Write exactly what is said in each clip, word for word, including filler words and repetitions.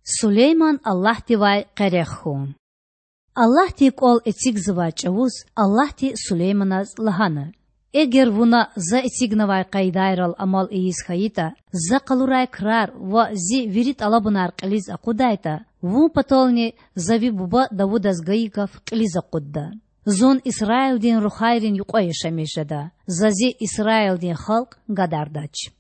Сулейман Аллагьдивай къерех хьун. Аллагьдин кІвал эцигзавай чІавуз Аллагьди Сулейманаз лагьана: Эгер вуна За эцигнавай къайдайрал амал ийиз хьайитІа, За къалурай крар ва Зи вири тІалабунар кьилиз акъудайтІа, вун патални За ви буба Давудаз гайи гаф кьилиз акъудда. Зун Исраилдин рухвайрин юкьва яшамиш жеда. За Зи Исраилдин халкь гадардач.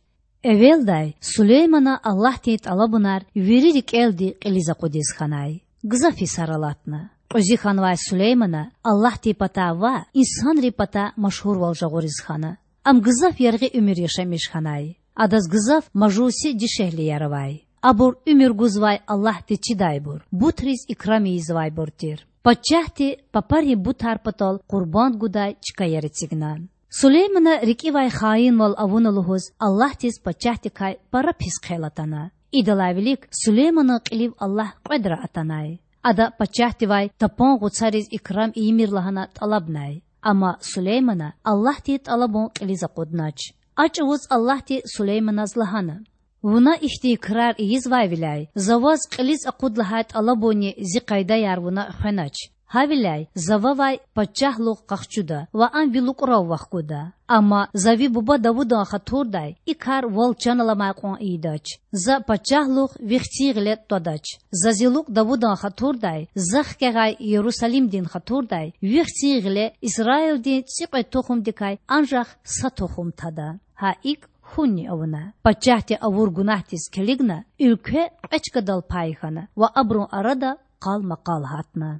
Эвелдай Сулеймана Аллагьдин тІалабунар вири рикІелди кьилиз акъудиз хьанай. Гзаф йисар алатна. Кьуьзуь хьанвай Сулеймана Аллагьдин патай ваъ, инсанрин патай машгьурвал жагъуриз хьана. Ам гзаф яргъи уьмуьр яшамиш хьанай. Адаз гзаф мажуси дишегьлияр авай. Абур уьмуьр гузвай Аллагьдиз чидайбур, бутриз икрам ийизвайбур тир. Пачагьди папарин бутар патал къурбанд гудай чкаяр эцигна. Сулеймана рикІивай хаинвал авуна лугьуз Аллагьдиз пачагьдикай пара пис хъел атана. Идалай вилик Сулейманан кьилив Аллагь кьведра атанай. Ада пачагьдивай тапан гъуцариз икрам ийимир лагьана тІалабнай. Амма Сулеймана Аллагьдин тІалабун кьилиз акъуднач. А чІавуз Аллагьди Сулейманаз лагьана: Вуна ихьтин крар ийизвайвиляй За ваз кьилиз акъуд лагьай тІалабунни Зи къайдаяр вуна хвенач. Гьавиляй За вавай пачагьлугъ къахчуда ва ам ви лукІрав вахгуда. Амма За ви буба Давудан хатурдай и кар вал чан аламай кьван ийидач. За пачагьлугъ ви хцин гъиле тІвадач. За Зи лукІ Давудан хатурдай, За хкягъай Ярусалимдин хатурдай ви хцин гъиле Исраилдин цІикьвед тухумдикай анжах са тухум тада. Гьа икІ хьунни авуна. Пачагьди авур гунагьдиз килигна, уьлкве кьве чкадал пай хьана ва абурун арада къалмакъал гьатна.